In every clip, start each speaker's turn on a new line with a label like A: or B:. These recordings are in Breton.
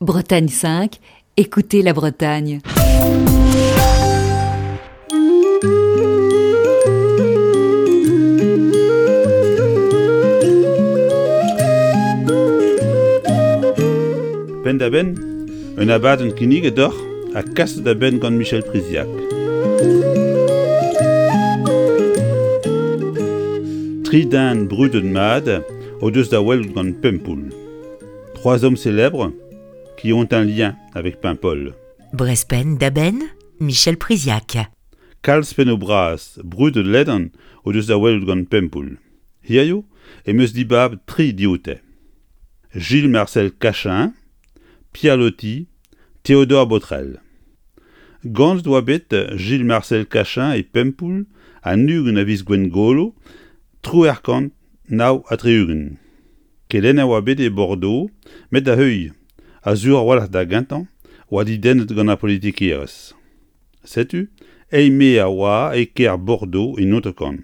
A: Bretagne 5, écoutez la Bretagne.
B: Penn-da-benn, un abadenn kinniget deoc'h ha kaset da benn gant Michel Priziac. Tri den brudet mat o deus da welout gant Pempoull. Trois hommes célèbres qui ont un lien avec Paimpol.
C: Brest penn-da-benn, Michel Priziac.
B: Kalz pennoù bras brudet ledan o deus da welout gant Pempoull. Hiziv em eus dibabet tri dioute. Gilles Marcel Cachin, Pierre Loti, Théodore Botrel. Ganet oa bet Gilles Marcel Cachin e Pempoull an 20 a viz Gwengolo 1869. Kelenner oa bet e Bordeaux met da heuilh, ha sur a-walc'h da gentañ, oa dedennet gant ar politikerezh. Setu, eil-mae a oa e kêr Bordeaux en hanter-kant,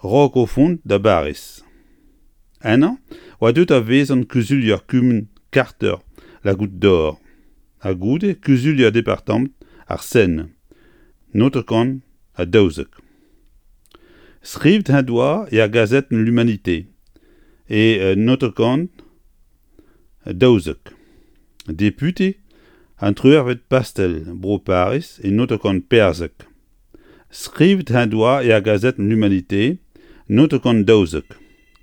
B: 'raok o vont da Bariz. Ennañ oa deuet da vezañ kuzulier kumun karter La Goutte d'Or ha goude kuzulier departamant ar Seine, 1912. Skrivet en doa er gazetenn L'Humanité e 1912. Depute an triwec'hvet pastell Bro Pariz e 1914. Skrivet en doa er gazetenn L'Humanité 1912.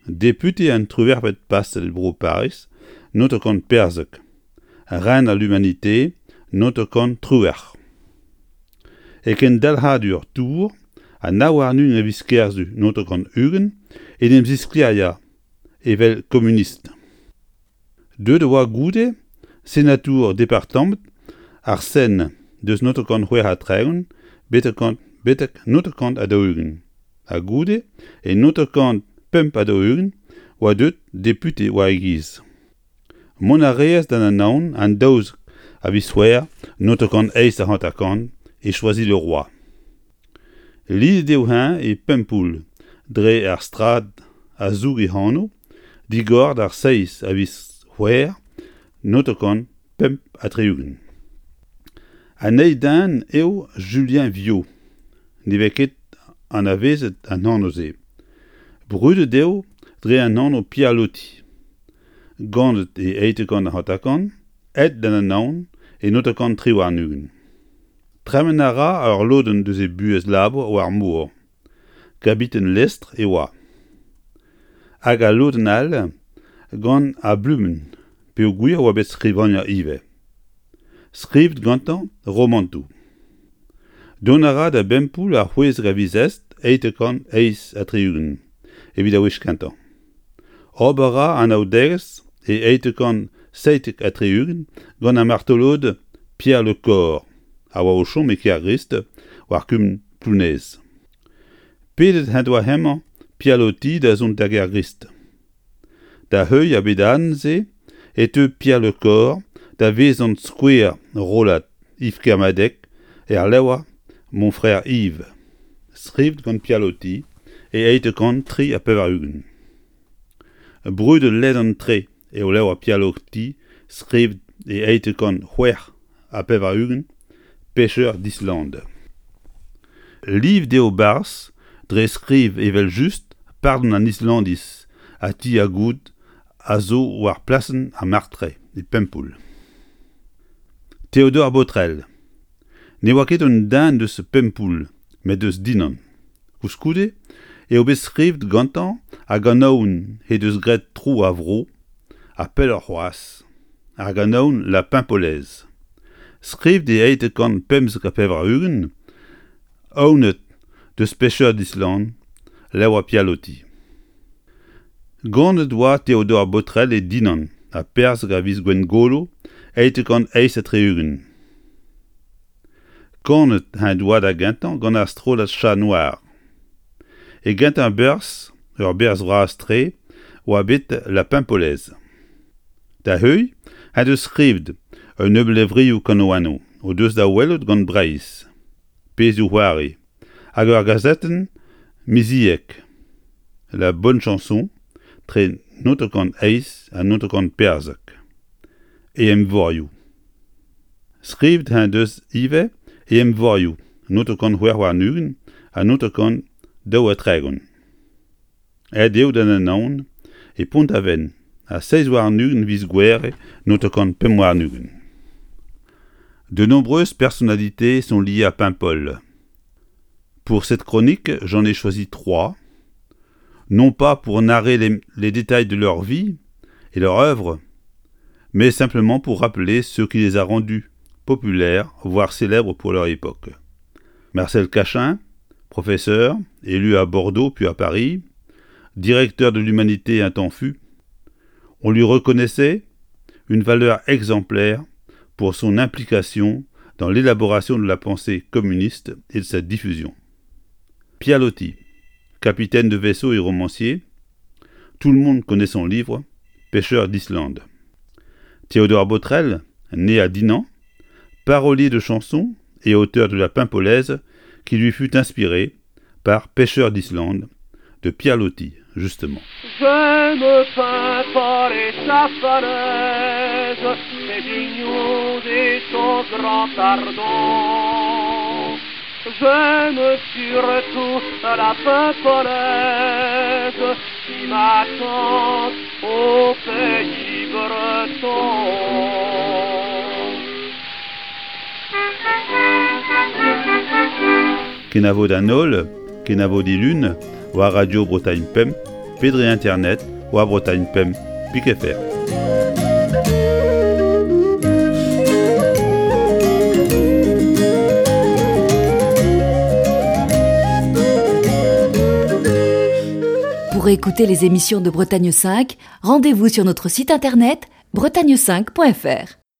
B: Depute an triwec'hvet pastell Bro Pariz 1914. Rener L'Humanité 1918. E kendalc'hadur Tours an 29 a viz Kerzu 1920 en em zisklêriañ evel komunist. Deuet e oa goude senatour departamant ar Seine deus 1936 betek 1940 ha goude e 1945 oa deuet depute war e giz. Mont a reas d'an Anaon an 12 a viz C'hwevrer 1958 e Choisy-le-Roi. Lidet eo-eñ e Pempoull dre ar strad a zoug e anv, digor d'ar seizh a viz C'hwevrer 1965. An eil den eo Julien Viau, ne vez ket anavezet an anv-se. Brudet eo dre an anv Pierre Loti. Ganet e 1850, aet d'an Anaon e 1923. Tremen a ra ur lodenn deus e buhez labour war mor. Kabiten lestr e oa. Hag al lodenn all gant ar bluenn peogwir e oa bet skrivagner ivez. Skrivet gantañ romantoù. Dont a ra da Bempoull ar 16 a viz Est 1868 evit ar wech kentañ. Ober a ra anaoudegezh e 1877 gant ar martolod Pierre Le Corre a oa o chom e Kergrist war kumun Plounez. Pedet en doa hemañ Pierre Loti da zont da Gergrist. Da heuilh ar bedadenn-se e teu Pierre Le Corre da vezañ skouer rollad Yves Kermadec er levr Mon frère Yves, skrivet gant Pierre Loti e 1883. Brudet ledan-tre eo levr Pierre Loti skrivet e 1886 Pêcheur d'Islande. Livet eo 'barzh dre skriv evel-just pardon an Islandiz ha ti ar Goud a zo war plasenn ar Martre e Pempoull. Théodore Botrel Ne oa ket un den deus Pempoull met deus Dinan. Koulskoude eo bet skrivet gantañ ar ganaouenn he deus graet tro ar vro, ha pelloc'h c'hoazh, ar ganaouenn La Paimpolaise. Skrivet e 1895, aonet deus Pêcheur d'Islande, levr Pierre Loti. Ganet oa Théodore Botrel e Dinan ha perzh a viz Gwengolo 1868. Kanet en doa da gentañ gant ar strollad Chat Noir. E gentañ berzh, ur berzh bras-tre, oa bet La Paimpolaise. Da heuilh en deus skrivet un nebeud levrioù kanaouennoù o deus da welout gant Breizh, pezhioù-c'hoari hag ur gazetenn miziek, La Bonne Chanson, tre 1908 ha 1914. e envorioù. Skrivet en deus ivez e envorioù 926 ha 932. Aet eo d'an Anaon e Pont-Aven ha 27 viz Gouere 925. De nombreuses personnalités sont liées à Paimpol. Pour cette chronique, j'en ai choisi trois, non pas pour narrer les, les détails de leur vie et leur œuvre, mais simplement pour rappeler ce qui les a rendus populaires, voire célèbres pour leur époque. Marcel Cachin, professeur, élu à Bordeaux puis à Paris, directeur de l'Humanité un temps fut, on lui reconnaissait une valeur exemplaire pour son implication dans l'élaboration de la pensée communiste et de sa diffusion. Pierre Loti, capitaine de vaisseau et romancier, tout le monde connaît son livre Pêcheur d'Islande. Théodore Botrel, né à Dinan, parolier de chansons et auteur de la Paimpolaise qui lui fut inspirée par Pêcheur d'Islande de Pierre Loti, justement.
D: J'aime Paimpol et sa falaise, ses vignons et son grand ardon. J'aime surtout la Paimpolaise qui m'attend au pays breton.
B: Kenavo d'an holl, kenavo dilun, war Radio Bretagne Pemp, pe dre internet war Bretagne Pemp pik fr.
A: Pour écouter les émissions de Bretagne 5, rendez-vous sur notre site internet bretagne5.fr.